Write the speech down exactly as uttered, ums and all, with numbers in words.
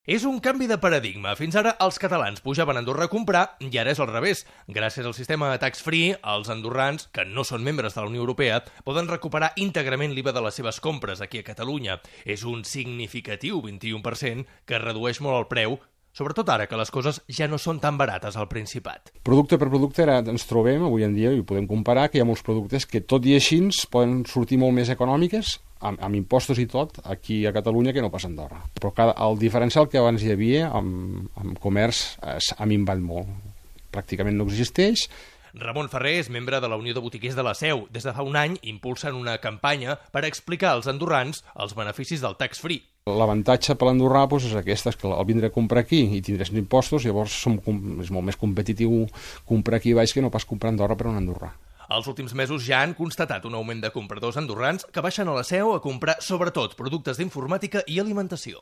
És un canvi de paradigma. Fins ara els catalans pujaven a Andorra a comprar i ara és al revés. Gràcies al sistema tax free, els andorrans, que no són membres de la Unió Europea, poden recuperar íntegrament l'I V A de les seves compres aquí a Catalunya. És un significatiu vint-i-u per cent que redueix molt el preu, sobretot ara que les coses ja no són tan barates al Principat. Producte per producte ara ens trobem, avui en dia, i ho podem comparar, que hi ha molts productes que tot i així poden sortir molt més econòmiques, amb, amb impostos i tot, aquí a Catalunya que no passa a Andorra. Però cada, el diferencial que abans hi havia amb, amb comerç ha minvat molt. Pràcticament no existeix. Ramon Ferrer és membre de la Unió de Botiquers de la Seu. Des de fa un any impulsen una campanya per explicar als andorrans els beneficis del tax free. L'avantatge per l'andorrà doncs, és aquesta, és que al vindre a comprar aquí i tindràs impostos, llavors som, és molt més competitiu comprar aquí baix que no pas comprar a Andorra per un andorrà. Els últims mesos ja han constatat un augment de compradors andorrans que baixen a la Seu a comprar sobretot productes d'informàtica i alimentació.